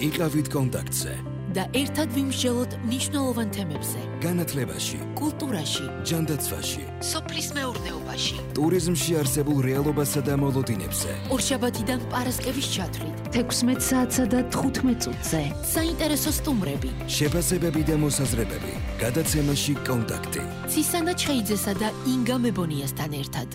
იყავით კონტაქტზე და ერთად ვიმსჯელოთ მნიშვნელოვან თემებზე. განათლებაში, კულტურაში, ჯანდაცვაში, სოფლის მეურნეობაში, ტურიზმში არსებულ რეალობასა და მოლოდინებზე. ორშაბათიდან პარასკევის ჩათვლით, 16 საათსა და 15 წუთზე. საინტერესო სტუმრები, შეფასებები და მოსაზრებები. გადაცემაში კონტაქტი. ცისანა ჩხეიძესა და ინგა მებონიასთან ერთად.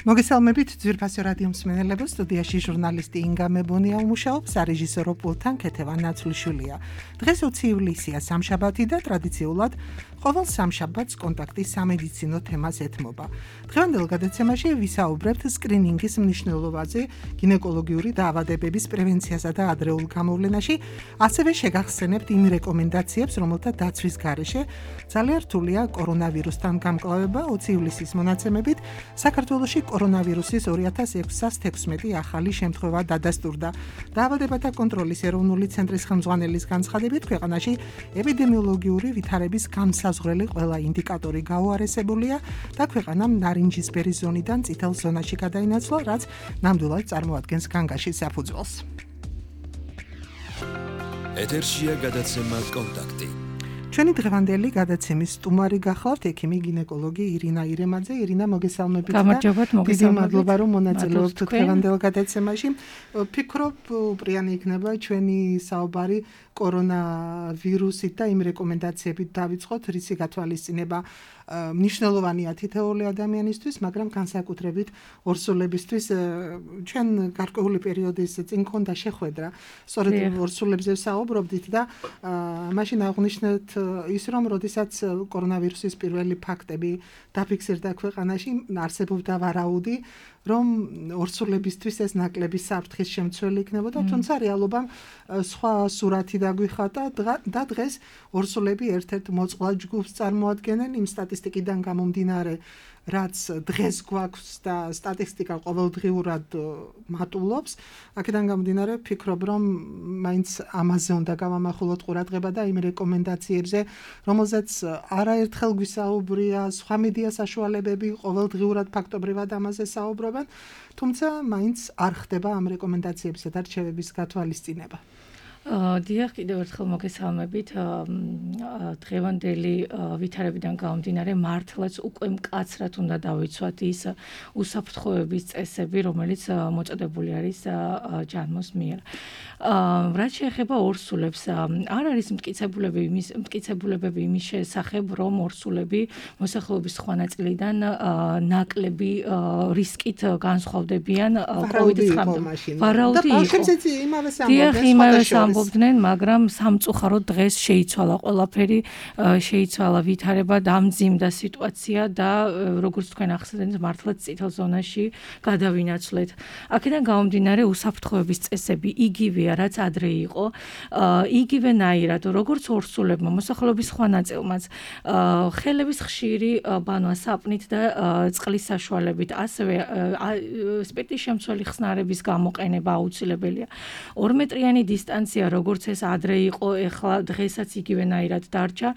მოგესალმებით ძვირფასო რადიო მსმენელებო, სტუდიაში ჟურნალისტი ინგა მებონია უმუშაობს, სარეჟისორო პულტთან ქეთევან ნაცვლიშვილია. დღეს 20 ივლისია, სამშაბათი და ტრადიციულად ყოველ სამშაბათს კონტაქტი სამედიცინო თემას ეთმობა. დღევანდელ გადაცემაში ვისაუბრებთ სკრინინგის მნიშვნელობაზე, გინეკოლოგიური დაავადებების პრევენციასა და ადრეულ გამოვლენაში, ასევე შეგახსენებთ იმ რეკომენდაციებს, რომელთა დაცვის გარეშე ძალიან რთულია კორონავირუსთან გამკლავება. 20 ივლისის მონაცემებით საქართველოში კორონავირუსის 2616 ახალი შემთხვევა დადასტურდა. დაავადებათა კონტროლის ეროვნული ცენტრის ხელმძღვანელის განცხადებით, ქვეყანაში ეპიდემიოლოგიური ვითარების განსაზღვრელი ყველა ინდიკატორი გაუარესებულია და ქვეყანამ ნარინჯისფერი ზონიდან წითელ ზონაში გადაინაცვლა, რაც ნამდვილად წარმოადგენს განგაშის საფუძველს. ეთერშია გადაცემა კონტაქტი. ჩვენი დღევანდელი გადაცემის სტუმარი გახლავთ ექიმი გინეკოლოგი ირინა ირემაძე. ირინა, მოგესალმებით. გამარჯობათ, დიდი მადლობა რომ მონაწილეობთ დღევანდელ გადაცემაში. ვფიქრობ, უპრიანი იქნება ჩვენი საუბარი კორონავირუსით და იმ რეკომენდაციებით დავიწყოთ, რისი გათვალისწინება მნიშვნელოვანია თითოეული ადამიანისთვის, მაგრამ განსაკუთრებით ორსულებისთვის. ჩვენ გარკვეული პერიოდის წინ ქონდა შეხვედრა, სწორედ ორსულებზე ვსაუბრობდით და მაშინ აღვნიშნეთ ის, რომ როდესაც კორონავირუსის პირველი ფაქტები დაფიქსირდა ქვეყანაში, არსებობდა ვარაუდი, რომ ორსულებისთვის ეს ნაკლები საფრთხის შემცველი იქნებოდა, თუმცა რეალობამ სხვა სურათი დაგვიხატა და დღეს ორსულები ერთ-ერთ მოწყვლად ჯგუფს წარმოადგენენ იმ სტატისტიკიდან გამომდინარე, რაც დღეს გვაქვს და სტატისტიკა ყოველდღიურად მატულობს. აქედან გამომდინარე ვფიქრობ, რომ მაინც ამაზე უნდა გავამახვილოთ ყურადღება და იმ რეკომენდაციებზე, რომელზეც არაერთხელ გვისაუბრია, სხვა მედია საშუალებები ყოველდღიურად ფაქტობრივად ამაზე საუბრობენ, თუმცა მაინც არ ხდება ამ რეკომენდაციებისა და რჩევების გათვალისწინება. დიახ, კიდევ ერთხელ მოგესალმებით. დღევანდელი ვითარებიდან გამომდინარე, მართლაც უკვე მკაცრად უნდა დავიცვათ ის უსაფრთხოების წესები, რომელიც მოწოდებული არის ჯანმოს მიერ. რაც შეეხება ორსულებს, არ არის მტკიცებულებები იმის შესახებ, რომ ორსულები მოსახლეობის სხვა ნაწილიდან ნაკლები რისკით განსხვავდებიან კოვიდის ხანამდე. ვარაუდი იყო. დიახ, იმავე ამბობდნენ, მაგრამ სამწუხაროდ დღეს შეიცვალა ყველაფერი, შეიცვალა ვითარება, დამძიმდა სიტუაცია და როგორც თქვენ ახსენეთ, მართლაც წითელ ზონაში გადავინაცვლეთ. აქედან გამომდინარე, უსაფრთხოების წესები იგივეა, რაც ადრე იყო, იგივენაირად, როგორც ორსულებმა, მოსახლეობის სხვა ნაწილმაც, ხელების ხშირი ბანვა საპნით და წყლის საშუალებით, ასევე სპირტის შემცველი ხსნარების გამოყენება აუცილებელია. 2 მეტრიანი დისტანცია, როგორც ეს ადრე იყო, ეხლა დღესაც იგივენაირად დარჩა,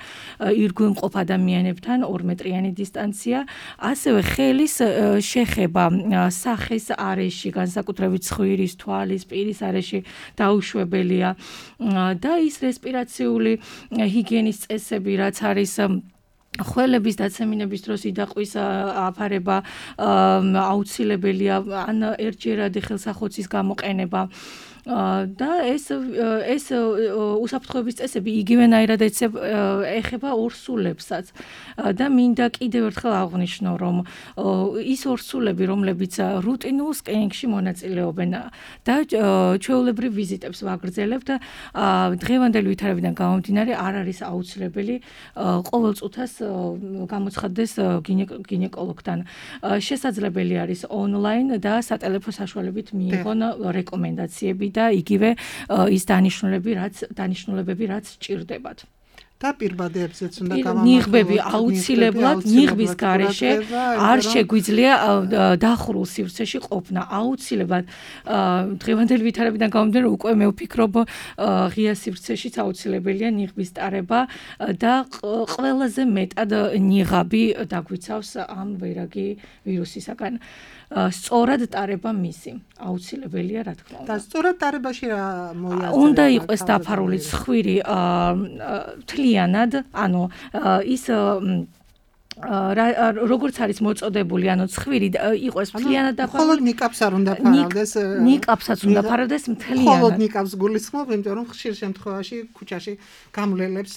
ირგვლივმყოფ ადამიანებთან 2 მეტრიანი დისტანცია, ასევე ხელის შეხება სახეს არეში, განსაკუთრებით ცხვირის, თვალის, პირის არეში დაუშვებელია და ის რესპირაციული ჰიგიენის წესები, რაც არის ხველების დაცემინების დროს იდაყვის აფარება აუცილებელია, ან ერთჯერადი ხელსახოცის გამოყენება. და ეს უსაფრთხოების წესები იგივენაირად ეხება ორსულებსაც და მინდა კიდევ ერთხელ აღვნიშნო, რომ ის ორსულები, რომლებიც რუტინულ სკრინინგში მონაწილეობენ და ჩვეულებრივ ვიზიტებს ვაგრძელებთ, დღევანდელი ვითარებიდან გამომდინარე არ არის აუცილებელი ყოველ წუთას გამოცხადდეს გინეკოლოგთან. შესაძლებელი არის ონლაინ და სატელეფონო საშუალებით მიიღონ რეკომენდაციები და იგივე ის დანიშნულებები, რაც სჭირდებათ. და პირბადებზეც უნდა გავამახვილოთ. ნიღბები აუცილებლად ნიღბის გარეშე არ შეგვიძლია დახურულ სივრცეში ყოფნა. აუცილებლად დღევანდელი ვითარებიდან გამომდინარე უკვე მე ვფიქრობ ღია სივრცეშიც აუცილებელია ნიღბის ტარება და ყველაზე მეტად ნიღაბი დაგვიცავს ამ ვერაგი ვირუსისაგან. სწორად ტარება მისი. აუცილებელია, რა თქმა უნდა. და სწორად ტარებაში რა მოიაზრება? უნდა იყოს დაფარული ცხვირი თლიანად, ანუ ის როგორც არის მოწოდებული, ანუ ცხვირი იყოს მთლიანად დაფარული. მხოლოდ ნიკაპს არ უნდა ფარავდეს. ნიკაპსაც უნდა ფარავდეს მთლიანად. მხოლოდ ნიკაპს გულისხმობ, იმიტომ რომ ხშირ შემთხვევაში ქუჩაში გამლელებს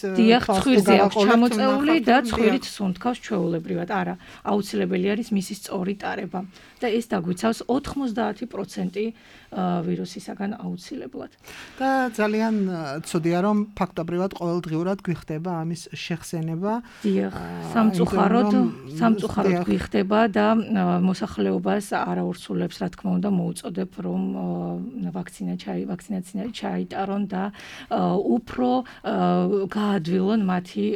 ცხვირზე აქვს ჩამოწეული და ცხვირით სუნთქავს ჩვეულებრივად. არა, აუცილებელი არის მისი სწორი ტარება. და ეს დაგვიცავს 90% ვირუსისაგან აუცილებლად. და ძალიან ცუდია, რომ ფაქტობრივად ყოველდღიურად გვიხდება ამის შეხსენება. დიახ, სამწუხაროდ გვიხდება და მოსახლეობას არაურსულებს, რა თქმა უნდა, მოუწოდებ, რომ ვაქცინაცია ჩაიტარონ და უფრო გაადვილონ მათი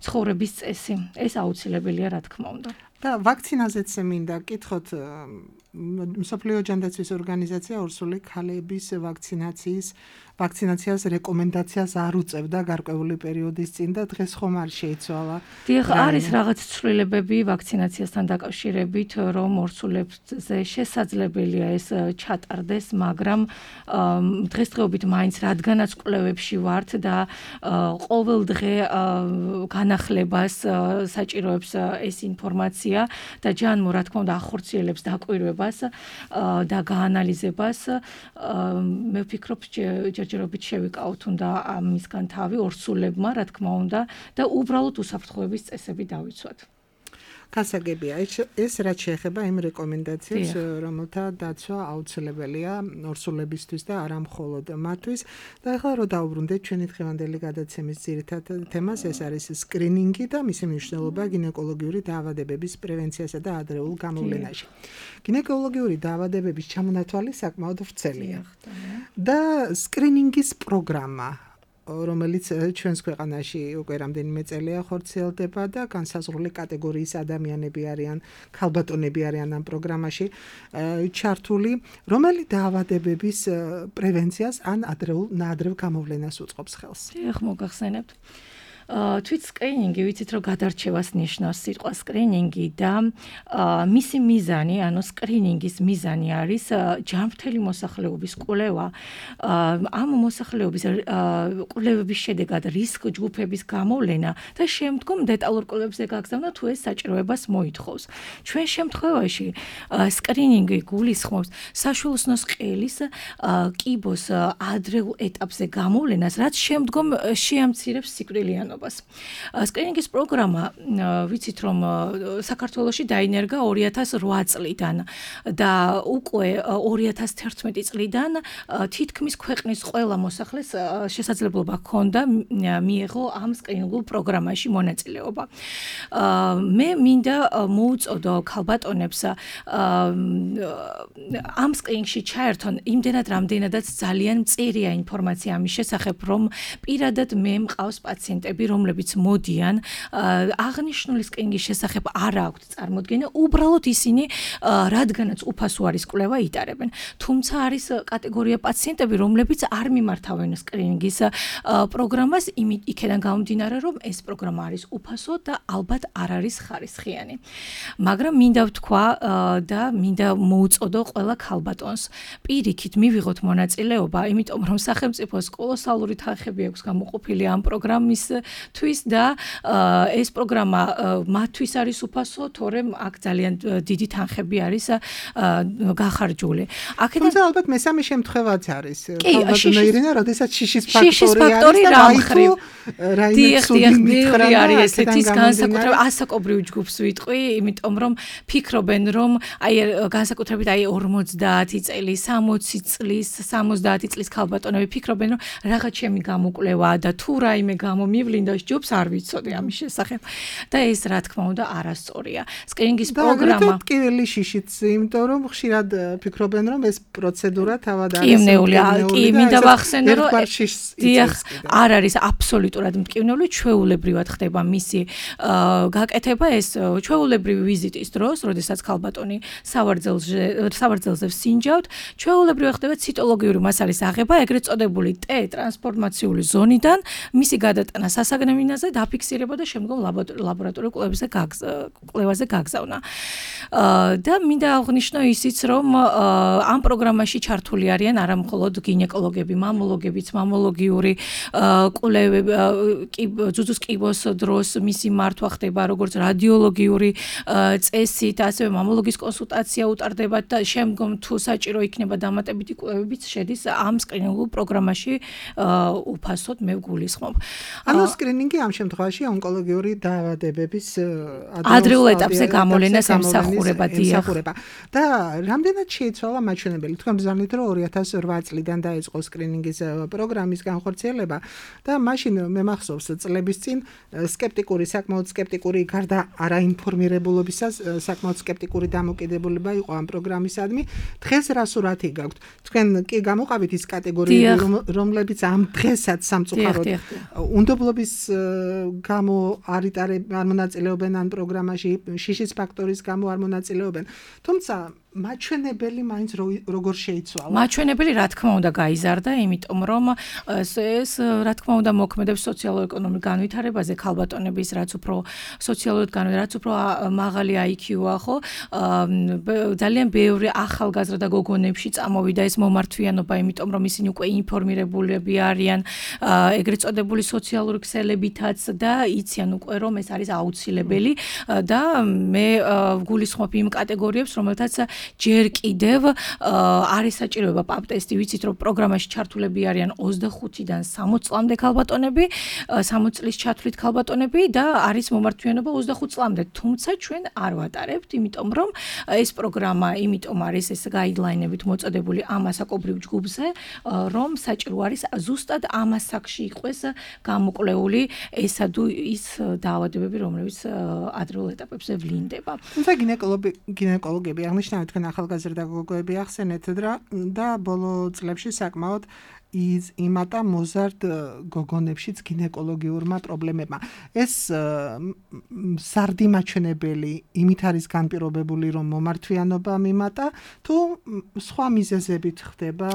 ცხოვრების წესი. ეს აუცილებელია, რა თქმა უნდა. და ვაქცინაზეც მინდა კითხოთ მსოფლიო ჯანდაცვის ორგანიზაცია ორსული ქალების ვაქცინაციას რეკომენდაციას არ უწევდა გარკვეული პერიოდის წინ და დღეს ხომ არ შეიცვალა. დიახ, არის რაღაც ცვლილებები ვაქცინაციასთან დაკავშირებით, რომ ორსულებზე შესაძლებელია ეს ჩატარდეს, მაგრამ დღესდღეობით მაინც რადგანაც კვლევებში ვართ და ყოველ დღე განახლებას საჭიროებს ეს ინფორმაცია და ჯანმო, რა თქმა უნდა, ახორციელებს დაკვირვებას და გაანალიზებას, მე ვფიქრობ, ჯერჯერობით შევიკავოთ უნდა ამისგან თავი ორსულებმა, რა თქმა უნდა, და უბრალოდ უსაფრთხოების წესები დავიცვათ. გასაგებია, ეს რაც შეეხება იმ რეკომენდაციებს, რომელთა დაცვა აუცილებელია ორსულებისთვის და არა მხოლოდ მათთვის. და ახლა რო დავუბრუნდეთ ჩვენი დღევანდელი გადაცემის ძირითად თემას, ეს არის სკრინინგი და მისი მნიშვნელობა გინეკოლოგიური დაავადებების პრევენციასა და ადრეულ გამოვლენაში. გინეკოლოგიური დაავადებების ჩამონათვალი საკმაოდ ვრცელია. და სკრინინგის პროგრამა რომელიც ჩვენს ქვეყანაში უკვე რამდენიმე წელია ხორციელდება და განსაზღვრული კატეგორიის ადამიანები არიან, ქალბატონები არიან ამ პროგრამაში ჩართული, რომელი დაავადებების პრევენციას ან ნაადრევ გამოვლენას უწყობს ხელს. ეხ მოგახსენებთ. თვით სკრინინგი ვიცით რომ გადარჩევას ნიშნავს სიტყვა სკრინინგი და მისი მიზანი, ანუ სკრინინგის მიზანი არის ჯანმრთელი მოსახლეობის კვლევა. ამ მოსახლეობის კვლევების შედეგად რისკ ჯგუფების გამოვლენა და შემდგომ დეტალურ კვლევებზე გაგზავნა თუ ეს საჭიროებას მოითხოვს. ჩვენ შემთხვევაში სკრინინგი გულისხმობს საშუალოსნოს ყელის კიბოს ადრეულ ეტაპზე გამოვლენას, რაც შემდგომ შეამცირებს სიკვდილიანობას. სკრინინგის პროგრამა ვიცით რომ საქართველოში დაინერგა 2008 წლიდან და უკვე 2011 წლიდან თითქმის ქვეყნის ყველა მოსახლეს შესაძლებლობა ჰქონდა მიეღო ამ სკრინინგულ პროგრამაში მონაწილეობა. მე მინდა მოუწოდო ქალბატონებს ამ სკრინინგში ჩაერთონ იმდენად რამდენადაც ძალიან მწირია ინფორმაცია ამის შესახებ, რომ პირადად მე მყავს პაციენტები, რომლებიც მოდიან აღნიშნული სკრინინგის შესახებ არ აქვთ წარმოდგენა, უბრალოდ ისინი რადგანაც უფასო არის კვლევა იტარებენ. თუმცა არის კატეგორია პაციენტები, რომლებიც არ მიმართავენ სკრინინგის პროგრამას, იქედან გამომდინარე, რომ ეს პროგრამა არის უფასო და ალბათ არ არის ხარისხიანი. მაგრამ მინდა ვთქვა და მინდა მოუწოდო ყველა ქალბატონს პირიქით მივიღოთ მონაწილეობა, იმიტომ რომ სახელმწიფოს კოლოსალური თანხები აქვს გამოყოფილი ამ პროგრამის თვის და ეს პროგრამა მათთვის არის უფასო, თორემ აქ ძალიან დიდი თანხები არის გახარჯული. თუმცა ალბათ მესამე შემთხვევაც არის. ქალბატონო ირინა, როდესაც შიშის ფაქტორი არის და მაითო რაიმე ცუდი მითხრა არის ესეთი განსაკუთრებით ასაკობრივ ჯგუფს ვიტყვი, იმიტომ რომ ფიქრობენ რომ აი განსაკუთრებით აი 50 წელი, 60 წლის, 70 წლის ქალბატონები ფიქრობენ რომ რაღაც ჩემი გამოკვლევა და თუ რაიმე გამომივლინდა ჯობს არ ვიცოდი ამის შესახებ. და ეს რა თქმა უნდა არასწორია. სკრინინგის პროგრამა ტკივილი შიშიც, იმიტომ რომ ხშირად ფიქრობენ რომ ეს პროცედურა თავად არის მტკივნეულია. კი, მინდა ვახსენო რომ არ არის აბსოლუტურად მტკივნეული, ჩვეულებრივად ხდება მისი გაკეთება ეს ჩვეულებრივი ვიზიტის დროს, როდესაც ქალბატონი სავარძელზე ვსინჯავთ, ჩვეულებრივად ხდება ციტოლოგიური მასალის აღება, ეგრეთ წოდებული T ტრანსფორმაციული ზონიდან, მისი გადატანა მოსაგნებინაზე დაფიქსირება და შემდგომ ლაბორატორიულ კვლევაზე გაგზავნა. და მინდა აღვნიშნო ისიც, რომ ამ პროგრამაში ჩართული არიან არა მხოლოდ გინეკოლოგები, მამოლოგებიც, მამოლოგიური კვლევები, ძუძუს კიბოს დროს მისი მართვა ხდება როგორც რადიოლოგიური წესით, ასევე მამოლოგის კონსულტაცია უტარდება და შემდგომ თუ საჭირო იქნება დამატებითი კვლევებიც შედის ამ სკრინინგულ პროგრამაში უფასოდ მე ვგულისხმობ. ანუ სკრინინგი ამ შემთხვევაში ონკოლოგიური დაავადებების ადრეულ ეტაპზე გამოვლენას ემსახურება. და რამდენად შეიცვალა მაჩვენებელი? თქვენ ბრძანეთ, რომ 2008 წლიდან დაიწყო სკრინინგის პროგრამის განხორციელება და მაშინ მე მახსოვს წლების წინ საკმაოდ სკეპტიკური გარდა არაინფორმირებულობისას საკმაოდ სკეპტიკური დამოკიდებულება იყო ამ პროგრამისადმი. დღეს რა სურათი გაქვთ? თქვენ კი გამოყავით ის კატეგორიები, რომლებიც ამ დღესაც სამწუხაროდ უნდობლობის გამო არ მონაწილეობენ ამ პროგრამაში, შიშის ფაქტორის გამო არ მონაწილეობენ. თუმცა მაჩვენებელი მაინც როგორ შეიცვალა? მაჩვენებელი რა თქმა უნდა გაიზარდა, იმიტომ რომ ეს რა თქმა უნდა მოქმედებს სოციალურ-ეკონომიკურ განვითარებაზე ქალბატონების, რაც უფრო სოციალურად რაც უფრო მაღალი IQ-ა, ხო? ძალიან ბევრი ახალგაზრდა გოგონებში წამოვიდა ეს მომართვიანობა, იმიტომ რომ ისინი უკვე ინფორმირებულები არიან ეგრეთ წოდებული სოციალური ქსელებითაც და იციან უკვე რომ ეს არის აუცილებელი და მე ვგულისხმობ იმ კატეგორიებს, რომელთაც ჯერ კიდევ არის საჭიროება პაპ ტესტი, ვიცით რომ პროგრამაში ჩართულები არიან 25-დან 60 წლამდე ქალბატონები, 60 წლის ჩათვლით ქალბატონები და არის მომართვიანობა 25 წლამდე. თუმცა ჩვენ არ ვატარებთ, იმიტომ რომ ეს პროგრამა იმიტომ არის ეს გაიდლაინებით მოწოდებული ამ ასაკობრივ ჯგუფზე, რომ საჭირო არის ზუსტად ამ ასაკში იყოს გამოკვლეული ესა თუ ის დაავადებები, რომლებიც ადრეულ ეტაპებზე ვლინდება. თუმცა გინეკოლოგები აღნიშნავენ, თქვენ ახალგაზრდა გოგოები ახსენეთ და ბოლო წლებში საკმაოდ იმატა მოზარდ გოგონებშიც გინეკოლოგიურმა პრობლემებმა. ეს სარდი მაჩვენებელი იმით არის განპირობებული, რომ მომართვიანობა მიმატა, თუ სხვა მიზეზებით ხდება?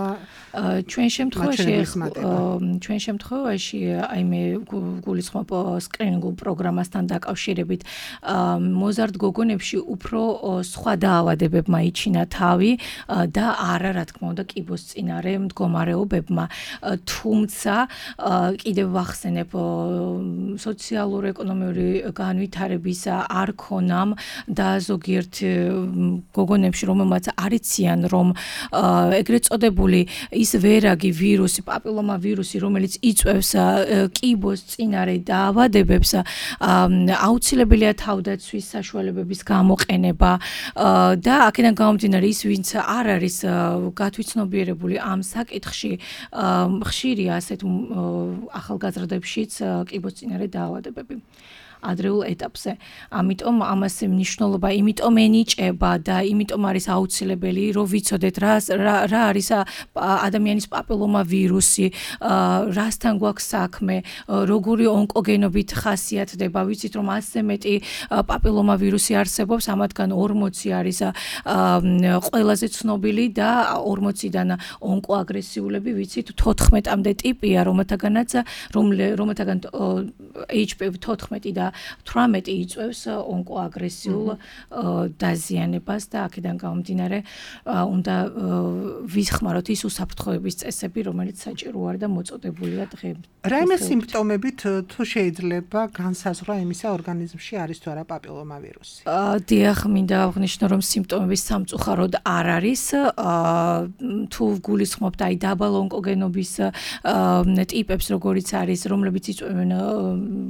ჩვენ შემთხვევაში აი მე გულისხმობ სკრინინგულ პროგრამასთან დაკავშირებით მოზარდ გოგონებში უფრო სხვა დაავადებებმა იჩინა თავი და არა რა თქმა უნდა კიბოსწინარე მდგომარეობებმა. თუმცა კიდევ ვახსენებ სოციალურ-ეკონომიური განვითარების არ ქონამ და ზოგიერთ გოგონებში რომელმაც არიციან რომ ეგრეთ წოდებული ის ვერაგი ვირუსი, პაპილომა ვირუსი, რომელიც იწვევს კიბოსწინარე დაავადებებს, აუცილებელია თავდაცვის საშუალებების გამოყენება და აქედან გამომდინარე ის ვინც არ არის გათვითცნობიერებული ამ საკითხში ხშირია ასეთ ახალგაზრდებშიც კიბოსწინარე დაავადებები. ადრეულ ეტაპზე. ამიტომ ამას მნიშვნელობა, იმიტომ ენიჭება და იმიტომ არის აუცილებელი, რომ ვიცოდეთ რა არის ადამიანის პაპილომა ვირუსი, რასთან გვაქვს საქმე, როგორი ონკოგენობით ხასიათდება. ვიცით რომ ასე მეტი პაპილომა ვირუსი არსებობს, ამათგან 40 არის ყველაზე ცნობილი და 40-დან ონკოაგრესიულები, ვიცით 14-მდე ტიპია, რომელთაგან HPV 14 და 18 იწვევს ონკოაგრესიულ დაზიანებას და აქედან გამომდინარე უნდა ვიხმაროთ ის უსაფრთხოების წესები, რომელიც საჭირო არის და მოწოდებულია დღეს. რაიმე სიმპტომებით თუ შეიძლება განსაზღვრა იმისა ორგანიზმში არის თუ არა პაპილომა ვირუსი? დიახ, მინდა აღვნიშნო, რომ სიმპტომების სამწუხაროდ არ არის. თუ ვგულისხმობთ აი დაბალ ონკოგენობის ტიპებს, როგორიც არის, რომლებიც იწვევენ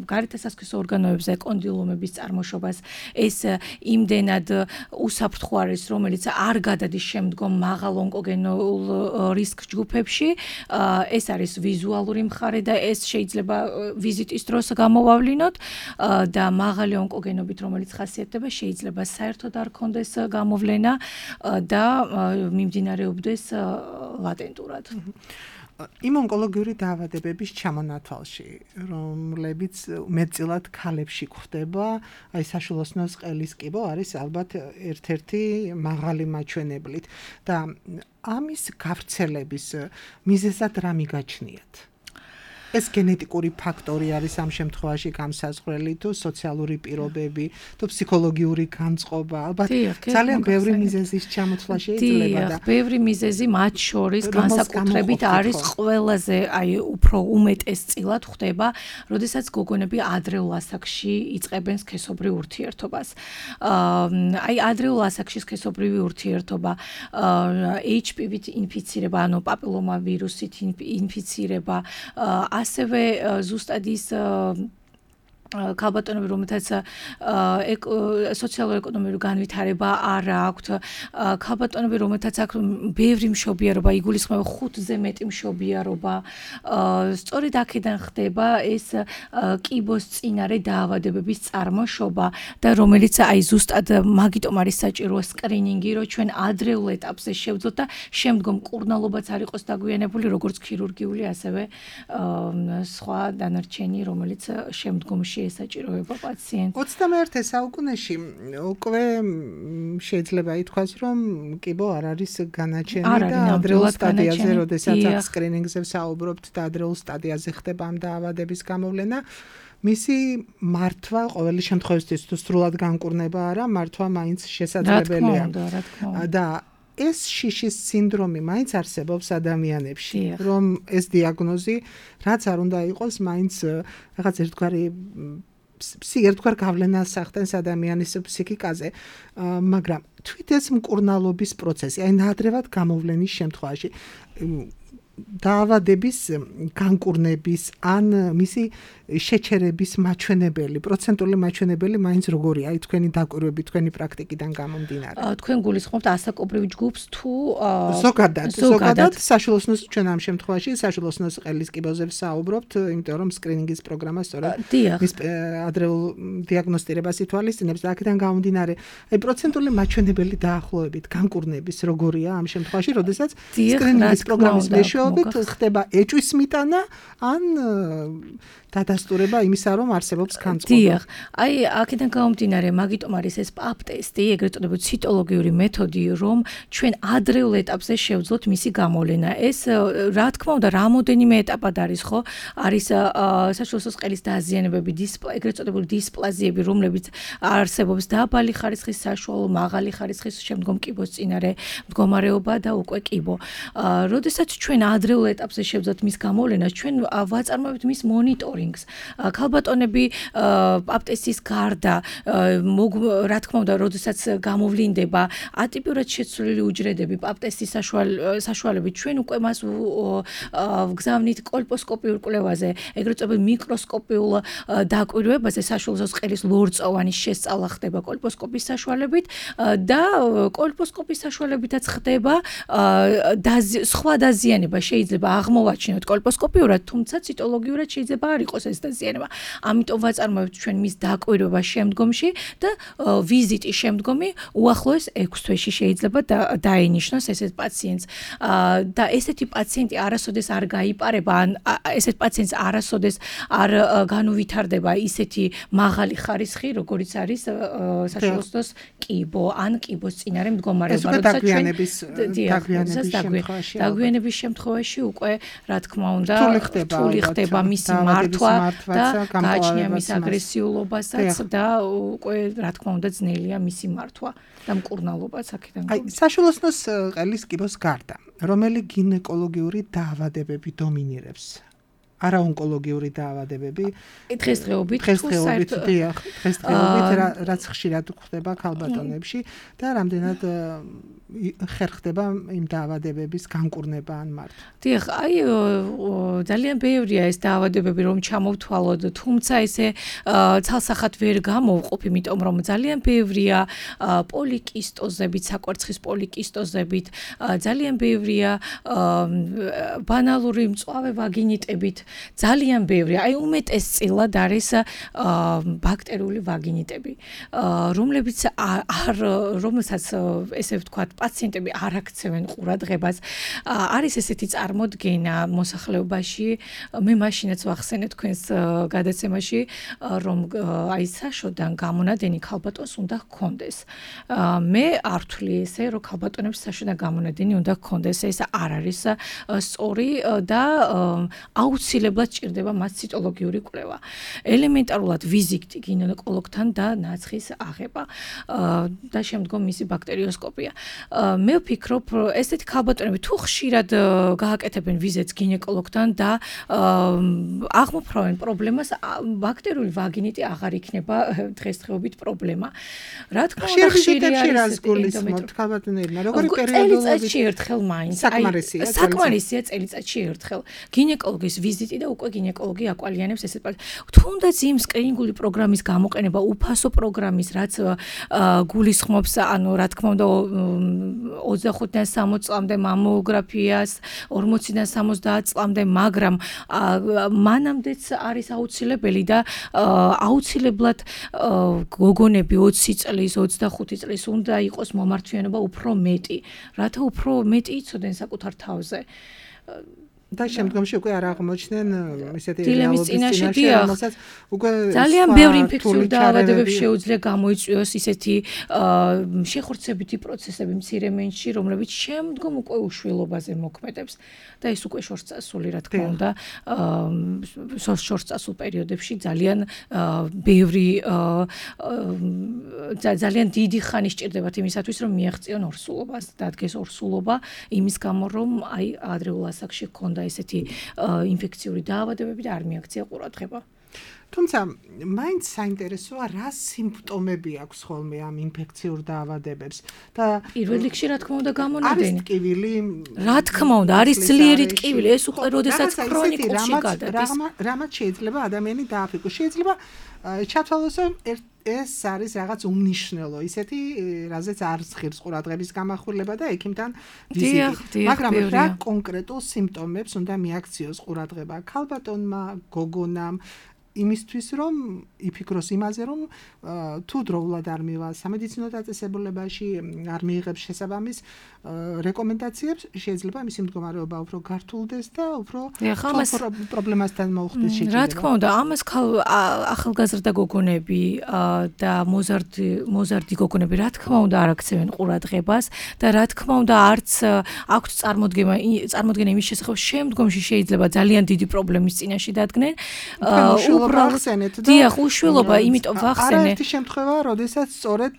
გარეთასასქესო ორგანოებზე კონდილომების წარმოშობას, ეს იმდენად უსაფრთხო არის, რომელიც არ გადადის შემდგომ მაღალ ონკოგენურ რისკ ჯგუფებში. ეს არის ვიზუალური მხარე და ეს შეიძლება ვიზიტის დროს გამოვავლინოთ და მაღალი ონკოგენობით, რომელიც ხასიათდება, შეიძლება საერთოდ არ ქონდეს გამოვლენა და მიმდინარეობდეს ლატენტურად. იმ ონკოლოგიური დაავადებების ჩამონათვალში, რომლებიც მეტწილად ქალებში გვხდება, აი საშვილოსნოს ყელის კიბო არის ალბათ ერთ-ერთი მაღალი მაჩვენებლით და ამის გავრცელების მიზეზად რა მიგაჩნიათ? ეს გენეტიკური ფაქტორი არის ამ შემთხვევაში გამსაზღვრელი თუ სოციალური პირობები, თუ ფსიქოლოგიური განწყობა, ალბათ ძალიან ბევრი მიზეზის ჩამოთვლა შეიძლება და ბევრი მიზეზი მათ შორის განსაკუთრებით არის ყველაზე უფრო უმეტესწილად ხდება, როდესაც გოგონები ადრეულ ასაკში იწყებენ სქესობრივ ურთიერთობას. ადრეულ ასაკში სქესობრივი ურთიერთობა, HPV-ით ინფიცირება, ანუ პაპილომავირუსით ინფიცირება, ასევე ზუსტად ის ქალბატონები, რომელთაც სოციალურ-ეკონომიური განვითარება არ აქვთ, ქალბატონები, რომელთაც აქვს ბევრი მშობიარობა, იგულისხმება 5-ზე მეტი მშობიარობა, სწორედ აქედან ხდება ეს კიბოს წინარე დაავადებების წარმოშობა და რომელიც ზუსტად მაგიტომ არის საჭირო სკრინინგი, რომ ჩვენ ადრეულ ეტაპზე შევძლოთ და შემდგომ მკურნალობაც არ იყოს დაგვიანებული, როგორც ქირურგიული, ასევე სხვა დანარჩენი, რომელიც შემდგომში ესაჭიროება პაციენტს. 21 საუკუნეში უკვე შეიძლება ითქვას, რომ კიბო არ არის განაჩენი და ადრეულ სტადიაზე, როდესაც აქ სკრინინგზე ვსაუბრობთ და ადრეულ სტადიაზე ხდება ამ დაავადების გამოვლენა, მისი მართვა ყოველი შემთხვევისთვის თუ სრულად განკურნება არა, მართვა მაინც შესაძლებელია. და ეს შიშის სინდრომი მაინც არსებობს ადამიანებში, რომ ეს დიაგნოზი რაც არ უნდა იყოს, მაინც რაღაც ერთგვარ გავლენას ახდენს ადამიანის ფსიქიკაზე, მაგრამ თვით ეს მკურნალობის პროცესი, ნადრევად გამოვლენის შემთხვევაში დაავადების განკურნების ან მისი შეჩერების მაჩვენებელი, პროცენტული მაჩვენებელი მაინც როგორია, თქვენი დაკვირვები, თქვენი პრაქტიკიდან გამომდინარე. თქვენ გულისხმობთ ასაკობრივ ჯგუფს თუ ზოგადად საშუალოსნოს ჩვენ ამ შემთხვევაში საშუალოსნოს ყელის კიბოზე ვსაუბრობთ, იმიტომ რომ სკრინინგის პროგრამა სწორედ მის ადრეულ დიაგნოსტირებას ითვალისწინებს და აქედან გამომდინარე, პროცენტული მაჩვენებელი დაახლოებით განკურნების როგორია ამ შემთხვევაში, როდესაც სკრინინგის პროგრამის მეშვეობით ხდება ეჭვის მიტანა ან დადასტურება იმისა, რომ არსებობს განწყობა. აქედან გამომდინარე, მაგიტომ არის ეს პაპ ტესტი, ეგრეთ წოდებული ციტოლოგიური მეთოდი, რომ ჩვენ ადრეულ ეტაპზე შევძლოთ მისი გამოვლენა. ეს რა თქმა უნდა, რამოდენიმე ეტაპად არის, ხო? არის საშუალო ყელის დაზიანებები, ეგრეთ წოდებული დისპლაზიები, რომლებიც არსებობს დაბალი ხარისხის, საშუალო, მაღალი ხარისხის, შემდგომ კიბოს წინარე მდგომარეობა და უკვე კიბო. როდესაც ჩვენ ადრეულ ეტაპზე შევძლოთ მის გამოვლენას, ჩვენ ვაწარმოებთ მის მონიტორინგს. ქალბატონები პაპტესის გარდა, რა თქმა უნდა, როდესაც გამოვლინდება ატიპიურად შეცვლილი უჯრედები პაპტესის საშუალებით, ჩვენ უკვე მას ვგზავნით კოლპოსკოპიურ კვლევაზე, ეგრეთ წოდებული მიკროსკოპიულ დაკვირვებაზე, საშუალო ყელის ლორწოვანი შესწავლა ხდება კოლპოსკოპის საშუალებით და კოლპოსკოპის საშუალებითაც ხდება სხვა დაზიანება შეიძლება აღმოვაჩინოთ კოლპოსკოპიურად, თუმცა ციტოლოგიურად შეიძლება არ იყოს ეს დაზიანება. ამიტომ ვაწარმოებთ ჩვენ მის დაკვირვება შემდგომში და ვიზიტი შემდგომი უახლოეს 6 თვეში შეიძლება დაენიშნოს ესეთ პაციენტს. და ესეთი პაციენტი არასოდეს არ გაიპარება, ან ესეთ პაციენტს არასოდეს არ განუვითარდება ისეთი მაღალი ხარისხი, როგორიც არის საშუალოს კიბო ან კიბოს წინარე მდგომარეობა, როდესაც დაგვიანების შემთხვევაში უკვე რა თქმა უნდა რთული ხდება მისი მართვა და გააჩნია მის აგრესიულობასაც და უკვე რა თქმა უნდა ძნელია მისი მართვა და მკურნალობაც აქედან გამომდინარე. საშუალოსნოს ყელის კიბოს გარდა, რომელი გინეკოლოგიური დაავადებები დომინირებს? არაონკოლოგიური დაავადებები. დღესდღეობით რაც ხშირად ხდება ქალბატონებში და რამდენად ხერხდება იმ დაავადებების განკურნება ან მართვა. ძალიან ბევრია ეს დაავადებები, რომ ჩამოვთვალოთ, თუმცა ესე ცალსახად ვერ გამოვყოფ, იმიტომ რომ ძალიან ბევრია პოლიკისტოზებით, საკვერცხის პოლიკისტოზებით, ძალიან ბევრია ბანალური მწვავე ვაგინიტებით, ძალიან ბევრი, უმეტესწილად არის ბაქტერიული ვაგინიტები, რომელსაც ესე ვთქვათ, პაციენტები არ აქცევენ ყურადღებას. არის ესეთი წარმოდგენა მოსახლეობაში, მე მაშინაც ვახსენე თქვენს გადაცემაში, რომ საშოდან გამონადენი ქალბატონს უნდა ჰქონდეს. მე არ ვთვლი ესე, რომ ქალბატონებს საშოდან გამონადენი უნდა ჰქონდეს. ეს არ არის სწორი და აუცილებელი აუცილებლად ჭირდება მას ციტოლოგიური კვლევა. ელემენტარულად ვიზიტი გინეკოლოგთან და ნაცხის აღება და შემდგომ მისი ბაქტერიოსკოპია. მე ვფიქრობ, ესეთი ქალბატონები თუ ხშირად გააკეთებენ ვიზიტს გინეკოლოგთან და აღმოფხრავენ პრობლემას, ბაქტერიული ვაგინიტი აღარ იქნება დღესდღეობით პრობლემა. რა თქმა უნდა, ხშირად არის გულისხმობთ ქალბატონებმა, როგორი პერიოდულობით წელიწადში ერთხელ მაინც. საკმარისია წელიწადში ერთხელ. გინეკოლოგის ვიზიტი და უკვე გინეკოლოგი აკვალიანებს ესეთ თუნდაც იმ სკრინინგული პროგრამის გამოყენება, უფასო პროგრამის, რაც გულისხმობს, ანუ რა თქმა უნდა 25-დან 60 წლამდე მამოგრაფიას, 40-დან 70 წლამდე, მაგრამ მანამდეც არის აუცილებელი და აუცილებლად გოგონები 20 წლის, 25 წლის უნდა იყოს მომართვიანობა უფრო მეტი, რათა უფრო მეტი იცოდნენ საკუთარ თავზე. და შემდგომში უკვე არ აღმოჩნდნენ ისეთი დილემის წინაშე რომელსაც უკვე ძალიან ბევრი ინფექციური დაავადებები შეუძლია გამოიწვიოს ისეთი შეხორცებითი პროცესები მცირე მენში, რომლებიც შემდგომ უკვე უშვილობაზე მოქმედებს და ეს უკვე შორსწასული, რა თქმა უნდა, შორსწასულ პერიოდებში ძალიან ბევრი ძალიან დიდი ხანი სჭირდებათ იმისათვის, რომ მიაღწიონ ორსულობას, დადგეს ორსულობა, იმის გამო, რომ აი ადრეულ ასაკში ჰქონდა ესეთი ინფექციური დაავადებები და არ მიაქცია ყურადღება. თუმცა მაინც საინტერესოა რა სიმპტომები აქვს ხოლმე ამ ინფექციურ დაავადებებს და პირველ რიგში რა თქმა უნდა გამონადენი. არის ტკივილი, რა თქმა უნდა, არის ძლიერი ტკივილი, ეს უკვე როდესაც ქრონიკულში გადადის. რამაც შეიძლება ადამიანი დააფიქროს. შეიძლება ჩათვალოს, რომ ეს არის რაღაც უმნიშვნელო, ისეთი, რაზეც არ ღირს ყურადღების გამახვილება და ექიმთან ვიზიტი. მაგრამ რა კონკრეტულ სიმპტომებს უნდა მიაქციოს ყურადღება ქალბატონმა, გოგონამ, იმისთვის რომ იფიქროს იმაზე, რომ თუ დროულად არ მივა სამედიცინო დაწესებულებაში, არ მიიღებს შესაბამის რეკომენდაციებს, შეიძლება მისი მდგომარეობა უფრო გართულდეს და უფრო პრობლემასთან მოუხდეს შეჯიბრება. რა თქმა უნდა, ამას ახალგაზრდა გოგონები და მოზარდი გოგონები რა თქმა უნდა არ აქცევენ ყურადღებას და რა თქმა უნდა არც აქვთ წარმოდგენა იმის შესახებ, შემდგომში შეიძლება ძალიან დიდი პრობლემის წინაშე დადგნენ. დიახ, უშვილობა, იმიტომ ვახსენე. არაერთი შემთხვევაა, როდესაც სწორედ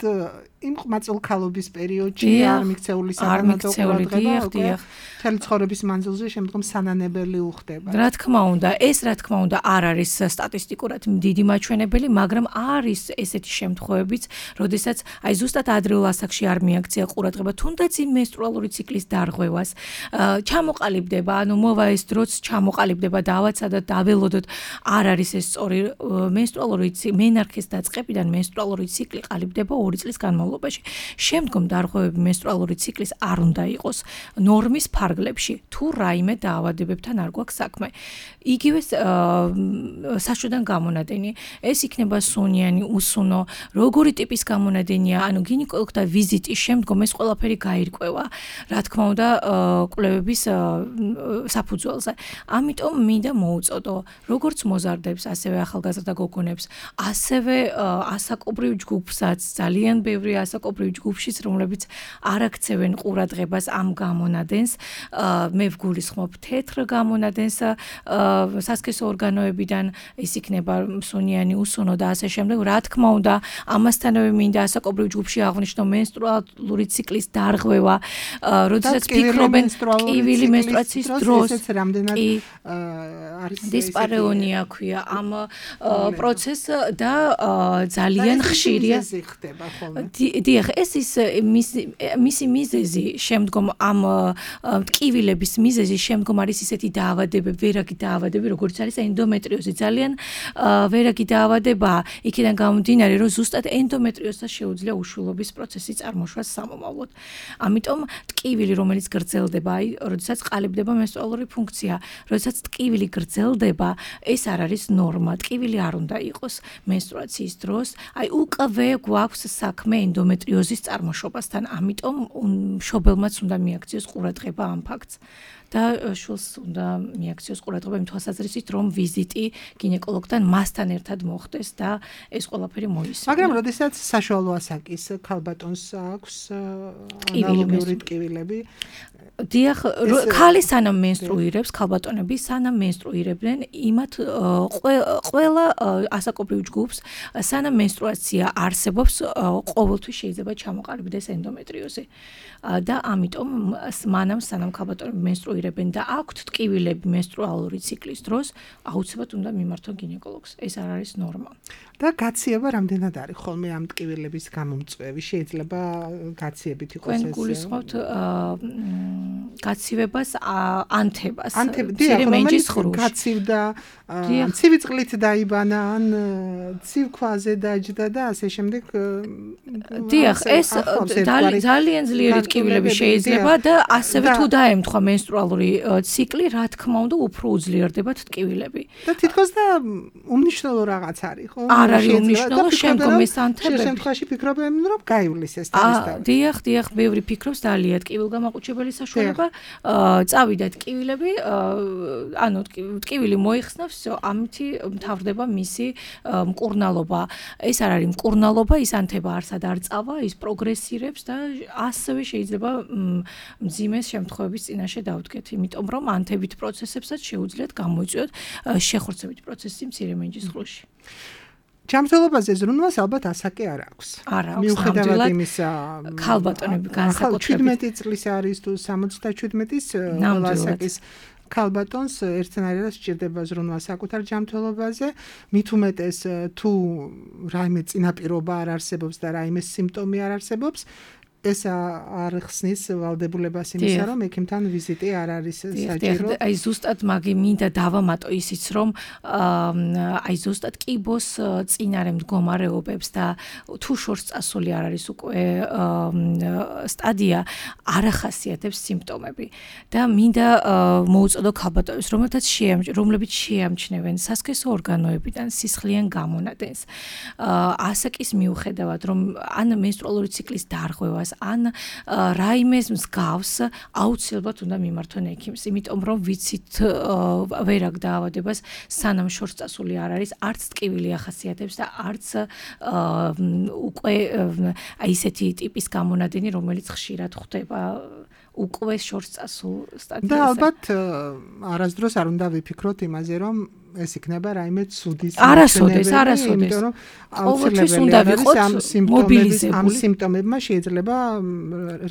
იმ ყმაწვილქალობის პერიოდში არ მიქცეული საკანონმდებლო ყურადღება, მთელი ცხოვრების მანძილზე შემდგომ სანანებელი უხდება. რა თქმა უნდა, ეს რა თქმა უნდა არ არის სტატისტიკურად დიდი მაჩვენებელი, მაგრამ არის ესეთი შემთხვევებიც, როდესაც აი ზუსტად ადრეულ ასაკში არ მიაქცია ყურადღება, თუნდაც იმ მენსტრუალური ციკლის დარღვევას, ჩამოყალიბდება, ანუ მოვა ეს დროც ჩამოყალიბდება დავაცა და დაველოდოთ, არ არის ეს სწორი მენსტრუალური მენარქის დაწყებიდან მენსტრუალური ციკლი ყალიბდება 2 წლის განმავლობაში. შემდგომ დარღვევები მენსტრუალური ციკლის არ უნდა იყოს ნორმის ფარგლებში, თუ რაიმე დაავადებებთან არ გვაქვს საქმე. იგივე საშუალო გამონადენი, ეს იქნება სუნიანი, უსუნო, როგორი ტიპის გამონადენია, ანუ გინეკოლოგთან ვიზიტის შემდგომ ეს ყველაფერი გაირკვევა, რა თქმა უნდა, კვლევების საფუძველზე. ამიტომ მინდა მოუწოდო, როგორც მოზარდებს, ასევე ახალგაზრდა გოგონებს, ასევე ასაკობრივ ჯგუფსაც, ძალიან ბევრი ასაკობრივ ჯგუფშიც, რომლებიც არ აქცევენ ყურადღებას ამ გამონადენს, მე ვგულისხმობ თეთრ გამონადენს სასქესო ორგანოებიდან, ეს იქნება სუნიანი, უსუნო და ასე შემდეგ. რა თქმა უნდა, ამასთანავე მინდა ასაკობრივ ჯგუფში აღვნიშნო მენსტრუალური ციკლის დარღვევა, როდესაც ფიქრობენ ტკივილი მენსტრუაციის დროს, არის დისპარეონია ქვია ამ პროცესს და ძალიან ხშირია. დიახ, ეს ის მისი მიზეზი შემდგომ ამ ტკივილების მიზეზი შემდგომ არის ისეთი დაავადებები, ვერაგი დაავადებები, როგორც არის ენდომეტრიოზი, ძალიან ვერაგი დაავადებაა. იქიდან გამომდინარე, რომ ზუსტად ენდომეტრიოზს შეუძლია უშვილობის პროცესი წარმოშვა სამომავლოდ. ამიტომ ტკივილი, რომელიც გრძელდება, აი, როდესაც ყალიბდება მენსტრუალური ფუნქცია, როდესაც ტკივილი გრძელდება, ეს არ არის ნორმა. ნორმა, ტკივილი არ უნდა იყოს menstruაციის დროს. აი უკვე გვაქვს საქმე ენდომეტრიოზის წარმოშობასთან, ამიტომ მშობელმაც უნდა მიაქციოს ყურადღება ამ ფაქტს. და შულს უნდა მიაქციოს ყურადღება იმ თვალსაზრისით, რომ ვიზიტი გინეკოლოგთან მასთან ერთად მოხდეს და ეს ყველაფერი მოისმინოს. მაგრამ როდესაც საშუალო ასაკის ქალბატონს აქვს ანალოგიური ტკივილები, დიახ, ქალი სანამ menstruირებს, ქალბატონები სანამ menstruირებდნენ, იმათ ყველა ასაკობრივ ჯგუფს სანამ menstruაცია არსებობს, ყოველთვის შეიძლება ჩამოყალიბდეს ენდომეტრიოზი. და ამიტომ მანამ სანამ ქალბატონები menstruირებენ და აქვთ ტკივილები menstruალური ციკლის დროს, აუცილებლად უნდა მიმართონ გინეკოლოგს. ეს არ არის ნორმა. და გაციება რამდენად არის ხოლმე ამ ტკივილების გამომწვევი? შეიძლება გაციებით იყოს ეს. თქვენ გულისხმობთ გაცივებას, ანთებას. გაცივდა, ცივი წყლით დაიბანა, ან ცივ ქვაზე დაჯდა და ასე შემდეგ. დიახ, ეს ძალიან ძლიერი ტკივილები შეიძლება და ასევე თუ დაემთხვა menstruალური ციკლი, რა თქმა უნდა, უფრო უძლიერდებათ ტკივილები. და თითქოს და უმნიშვნელო რაღაც არის, ხო? არ არის უმნიშვნელო, შემდგომ ეს ანთებები. შენ შემთხვევაში ფიქრობენ, რომ გაივლის ეს თავისთავად. დიახ, ბევრი ფიქრობს დალია ტკივილგამაყუჩებელი საშუალება, წავიდა ტკივილები, ანუ ტკივილი მოიხსნავს, ამითი მთავრდება მისი მკურნალობა. ეს არ არის მკურნალობა, ის ანთება არსად არ წავა, ის პროგრესირებს და ასევე შეიძლება მძიმე შემთხვევების წინაშე დავდგეთ, იმიტომ რომ ანთებით პროცესებსაც შეუძლიათ გამოიწვიოთ შეხორცებით პროცესი მცირე მენჯის ღრუში. ჯანმრთელობაზე ზრუნვას ალბათ ასაკი არ აქვს. მიუხედავად იმისა, ქალბატონები განსაკუთრებით 17 წლის არის თუ 77-ის ასაკის ქალბატონს ერთნაირად სჭირდება ზრუნვა საკუთარ ჯანმრთელობაზე, მით უმეტეს თუ რაიმე წინაპირობა არ არსებობს და რაიმე სიმპტომი არ არსებობს, ეს არ ხსნის ვალდებულებას იმისა, რომ ექიმთან ვიზიტი არ არის საჭირო. აი ზუსტად მინდა დავამატო ისიც, რომ აი ზუსტად კიბოს წინარე მდგომარეობებს და თუ შორს წასული არ არის უკვე სტადია, არ ახასიათებს სიმპტომები. და მინდა მოუწოდო ქალბატონებს, რომლებიც შეამჩნევენ სასქესო ორგანოებიდან სისხლიან გამონადენს. ასაკის მიუხედავად, რომ ან menstruალური ციკლის დარღვევას ან რაიმეს მსგავს აუცილებლად უნდა მიმართონ ექიმს, იმიტომ რომ ვიცით ვერ აქვს დაავადებას სანამ შორს წასული არ არის, არც ტკივილი ახასიათებს და არც უკვე აი ესეთი ტიპის გამონადენი, რომელიც ხშირად ხვდება უკვე შორს წასულ სტადიაზე. და ალბათ არასდროს არ უნდა ვიფიქროთ იმაზე, რომ ეს იქნება რაიმე ცუდის არასოდეს. იმიტომ რომ აუცილებელი არის ამ სიმპტომებმა შეიძლება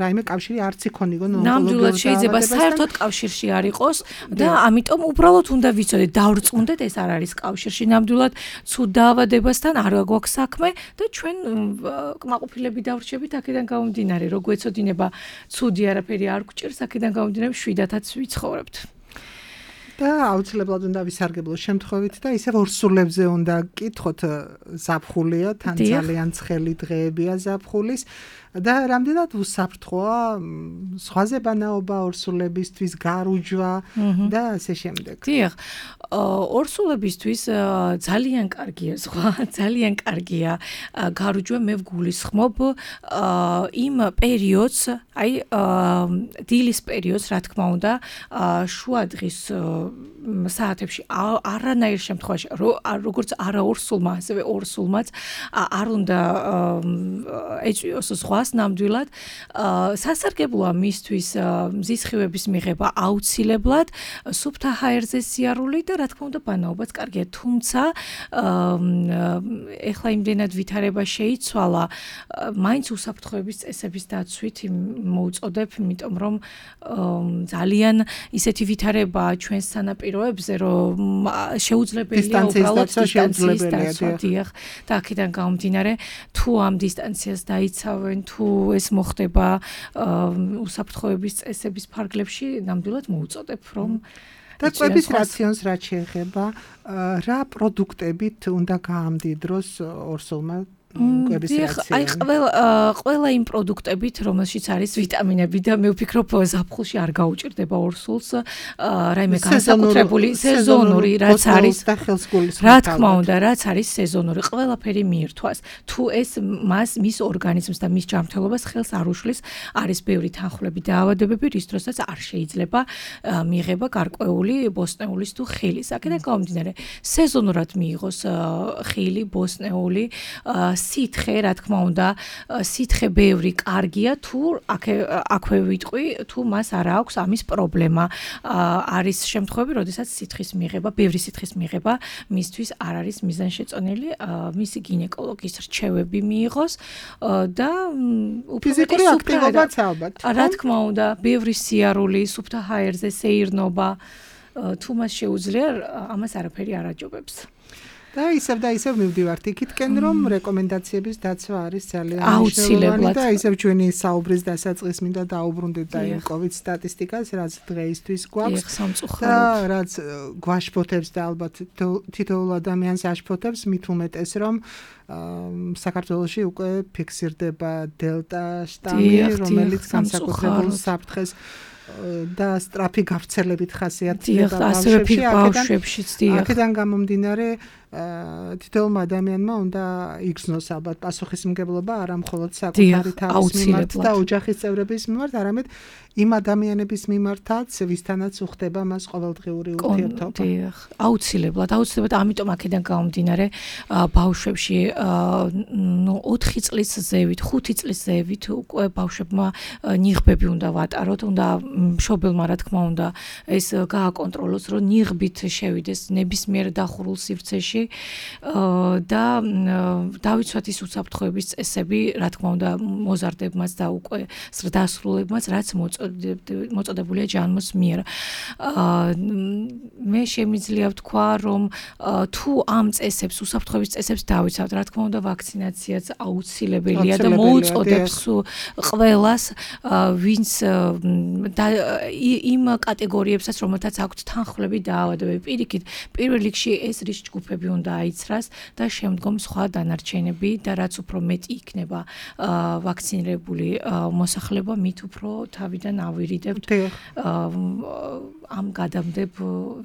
რაიმე კავშირი არც იქონიო ნამდვილად შეიძლება საერთოდ კავშირში არ იყოს და ამიტომ უბრალოდ უნდა ვიცოდეთ, დავრწმუნდეთ, ეს არ არის კავშირში, ნამდვილად ცუდ დაავადებასთან არ გვაქვს საქმე და ჩვენ კმაყოფილები დავრჩებით აქედან გამომდინარე, რო გვეცოდინება ცუდი არაფერი არ გვჭირს, აქედან გამომდინარე მშვიდათაც ვიცხოვრებთ. და აუცილებლად უნდა ვისარგებლოთ შემთხვევით და ისევ ორსულებზე უნდა გკითხოთ, ზაფხულია, თან ძალიან ცხელი დღეებია ზაფხულის და რამდენად უსაფრთხოა სხვაზე ბანაობა ორსულებისთვის, გარუჯვა და ასე შემდეგ. დიახ, ორსულებისთვის ძალიან კარგია ძალიან კარგია გარუჯვა, მე ვგულისხმობ იმ პერიოდს, აი დილის პერიოდს, რა თქმა უნდა, შუადღის საათებში არანაირ შემთხვევაში, როგორც არა ორსულმა, ასევე ორსულმაც არ უნდა ეწვიოს ზღვას ნამდვილად. სასარგებლოა მისთვის მზისხივების მიღება აუცილებლად, სუფთა ჰაერზე სიარული და რა თქმა უნდა ბანაობაც კარგია, თუმცა ეხლა იმდენად ვითარება შეიცვალა, მაინც უსაფრთხოების წესების დაცვით მოუწოდებ, იმიტომ რომ ძალიან ისეთი ვითარებაა ჩვენს სანაპიროებზე, რომ შეუძლებელია უბრალოდ დისტანციის დაცვა. დიახ, და აქედან გამომდინარე, თუ ამ დისტანციას დაიცავენ, თუ ეს მოხდება უსაფრთხოების წესების ფარგლებში, ნამდვილად მოუწოდებ, რომ და კვების რაციონს რაც შეეხება, რა პროდუქტებით უნდა გაამდიდროს ორსულმა კვების რაციონი. აი ყველა იმ პროდუქტებით, რომელშიც არის ვიტამინები და მე ვფიქრობ ზაფხულში არ გაუჭირდება ორსულს, რაიმე განსაკუთრებული სეზონური რაც არის და ხელსგულის. რა თქმა უნდა, რაც არის სეზონური, ყველაფერი მიირთვას. თუ ეს მის ორგანიზმს და მის ჯანმრთელობას ხელს არ უშლის, არის ბევრი თანხლები და დაავადებები, რის დროსაც არ შეიძლება მიიღება გარკვეული ბოსტნეულის თუ ხილის. აქედან გამომდინარე, სეზონურად მიიღოს ხილი, ბოსტნეული, სითხე, რა თქმა უნდა, სითხე ბევრი კარგია, თუ აქვე ვიტყვი, თუ მას არ აქვს ამის პრობლემა. არის შემთხვევები, როდესაც სითხის მიღება, ბევრი სითხის მიღება მისთვის არ არის მიზანშეწონილი, მისი გინეკოლოგის რჩევები მიიღოს და ფიზიკური აქტივობაც ალბათ. რა თქმა უნდა, ბევრი სიარული, სუფთა ჰაერზე სეირნობა, თუ მას შეუძლია, ამას არაფერი არ აჯობებს. და ისევ მივდივართ იქითკენ, რომ რეკომენდაციების დაცვა არის ძალიან მნიშვნელოვანი და ისევ ჩვენი საუბრის დასაწყისს მინდა დაუბრუნდეთ და იმ COVID სტატისტიკას, რაც დღეისთვის გვაქვს და რაც გვაშფოთებს და ალბათ თითოეულ ადამიანს აშფოთებს, მით უმეტეს რომ საქართველოში უკვე ფიქსირდება დელტა შტამი, რომელიც განსაკუთრებულ საფრთხეს და სწრაფი გავრცელებით ხასიათდება ბავშვებშიც. აქედან გამომდინარე თითოეულმა ადამიანმა უნდა იგრძნოს ალბათ პასუხისმგებლობა არა მხოლოდ საკუთარი თავის მიმართ და ოჯახის წევრების მიმართ, არამედ იმ ადამიანების მიმართაც, ვისთანაც უხდება მას ყოველდღიური ურთიერთობა. აუცილებლად, ამიტომ აქედან გამომდინარე ბავშვებში 4 წლის ზევით, 5 წლის ზევით უკვე ბავშვებმა ნიღბები უნდა ვატაროთ, უნდა მშობელმა რა თქმა უნდა ეს გააკონტროლოს, რომ ნიღბით შევიდეს ნებისმიერ დახურულ სივრცეში და დავიცვათ ის უსაფრთხოების წესები, რა თქმა უნდა, მოზარდებმაც და უკვე ზრდასრულებმაც, რაც მოწოდებულია ჯანმოს მიერ. მე შემიძლია ვთქვა, რომ თუ ამ წესებს, უსაფრთხოების წესებს დავიცავთ, რა თქმა უნდა, ვაქცინაციაც აუცილებელია და მოუწოდებს ყველას, ვინც იმ კატეგორიებსაც, რომელთაც აქვთ თანხლები დაავადებები. პირიქით, პირველ რიგში ეს რისკ ჯგუფები უნდა აიცრას და შემდგომ სხვა დანარჩენები და რაც უფრო მეტი იქნება ვაქცინირებული მოსახლეობა, მით უფრო თავიდან ავირიდებთ ამ გადამდებ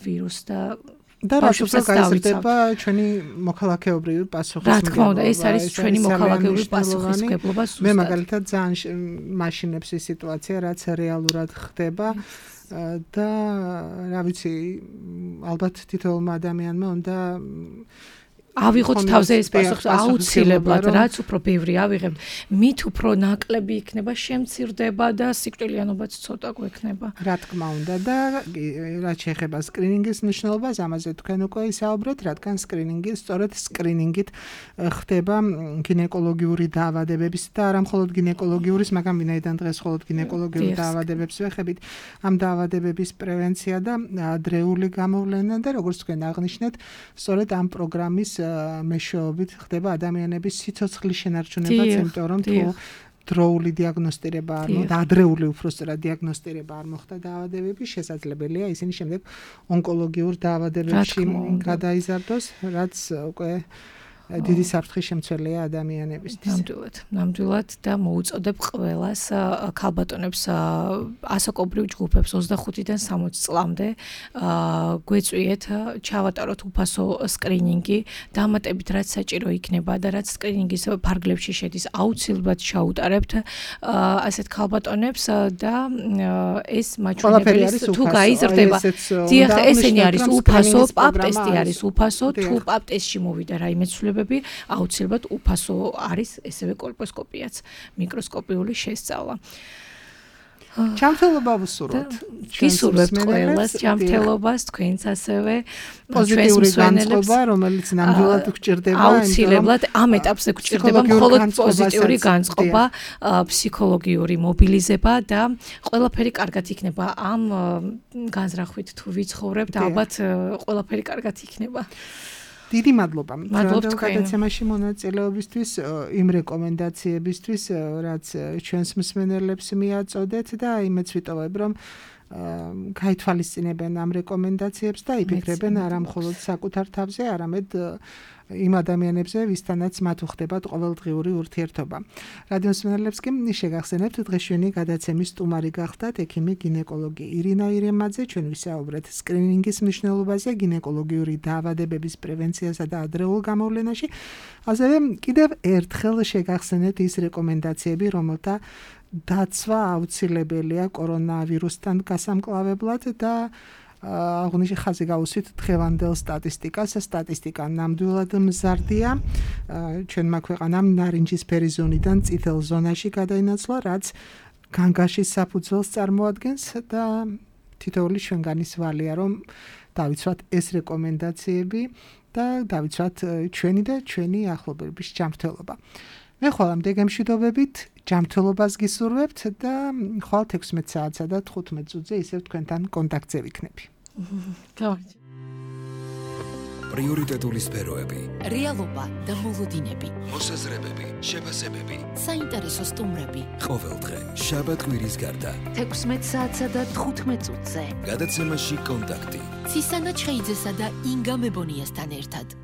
ვირუსს და რაც უფრო გაიზრდება ჩვენი მოქალაქეობრივი პასუხისმგებლობა. რა თქმა უნდა, ეს არის ჩვენი მოქალაქეობრივი პასუხისმგებლობა. მე მაგალითად ძალიან მაშინებს ის სიტუაცია, რაც რეალურად ხდება და რა ვიცი, ალბათ თითოეულმა ადამიანმა უნდა ავიღოთ თავზე ეს პასუხი აუცილებლად, რაც უფრო ბევრი ავიღებთ, მით უფრო ნაკლები იქნება, შემცირდება და სიკვდილიანობაც ცოტა გვექნება. რა თქმა უნდა და რაც შეეხება სკრინინგის მნიშვნელობას, ამაზე თქვენ უკვე ისაუბრეთ, რადგან სწორედ სკრინინგით ხდება გინეკოლოგიური დაავადებების და არა მხოლოდ გინეკოლოგიურის, მაგრამ ვინაიდან დღეს მხოლოდ გინეკოლოგიური დაავადებებს ვეხებით, ამ დაავადებების პრევენცია და ადრეული გამოვლენა და როგორც თქვენ აღნიშნეთ, სწორედ ამ პროგრამის მეშვეობით ხდება ადამიანების სიცოცხლის შენარჩუნება, იმიტომ რომ თუ დროული დიაგნოსტირება არ მოხდა, ადრეული უბრალოდ დიაგნოსტირება არ მოხდა დაავადებების, შესაძლებელია ისინი შემდეგ ონკოლოგიურ დაავადებებში გადაიზარდოს, რაც უკვე დიდი საფრთხის შემცველია ადამიანებისთვის. ნამდვილად და მოუწოდებ ყველას ქალბატონებს ასაკობრივ ჯგუფებს 25-დან 60 წლამდე გვეწვიეთ ჩავატაროთ უფასო სკრინინგი, დამატებით რაც საჭირო იქნება და რაც სკრინინგის ფარგლებში შედის, აუცილებლად ჩაუტარებთ ასეთ ქალბატონებს და ეს მაჩვენებელი თუ გაიზრდება, დიახ, ესენი არის უფასო, პაპ ტესტი არის უფასო, თუ პაპ ტესტში მოვიდა რაიმე ცვლილება აუცილებლად უფასო არის ესევე კოლპოსკოპიაც, მიკროსკოპიული შესწავლა. ჯანმრთელობა ვუსურვოთ. ვისურვებთ ყველას ჯანმრთელობას, თქვენც ასევე პოზიტიური განწყობა, რომელიც ნამდვილად გვჭირდება. აუცილებლად ამ ეტაპზე გვჭირდება მხოლოდ პოზიტიური განწყობა, ფსიქოლოგიური მობილიზება და ყველაფერი კარგად იქნება. ამ განზრახვით თუ ვიცხოვრებთ, ალბათ ყველაფერი კარგად იქნება. დიდი მადლობა. მადლობთ გადაცემაში მონაწილეობისთვის, იმ რეკომენდაციებისთვის, რაც ჩვენს მსმენელებს მიაწოდეთ და იმეც ვიტოვებ, რომ გაითვალისწინებენ ამ რეკომენდაციებს და იფიქრებენ არა მხოლოდ საკუთარ თავზე, არამედ იმ ადამიანებზე, ვისთანაც მათ უხდებათ ყოველდღიური ურთიერთობა. რადიო მსმენელებს კი შეგახსენებთ, დღეშვენი გადაცემის სტუმარი გახდათ ექიმი გინეკოლოგი ირინა ირემაძე, ჩვენ ვისაუბრეთ სკრინინგის მნიშვნელობაზე, გინეკოლოგიური დაავადებების პრევენციასა და ადრეულ გამოვლენაში. ასევე კიდევ ერთხელ შეგახსენეთ ის რეკომენდაციები, რომელთა დაცვა აუცილებელია კორონავირუსთან გასამკლავებლად და აღნიშნე ხაზი გაუსვით დღევანდელ სტატისტიკას. სტატისტიკა ნამდვილად მზარდია. ჩვენმა ქვეყანამ ნარინჯისფერი ზონიდან წითელ ზონაში გადაინაცვლა, რაც განგაშის საფუძველს წარმოადგენს და თითოეული ჩვენგანის ვალია, რომ დავიცვათ ეს რეკომენდაციები და დავიცვათ ჩვენი და ჩვენი ახლობლების ჯანმრთელობა. მე ხოლმე გემშვიდობებით ჯანმრთელობას გისურვებთ და ხვალ 16 საათსა და 15 წუთზე ისევ თქვენთან კონტაქტზე ვიქნები. პრიორიტეტული სფეროები, რეალობა და მოლოდინები, მოსაზრებები, შეფასებები, საინტერესო სტუმრები. ყოველდღე შაბათ-კვირის გარდა 16 საათსა და 15 წუთზე. გადაცემაში კონტაქტი. ცისანა ჩხეიძესა და ინგა მებონიასთან ერთად.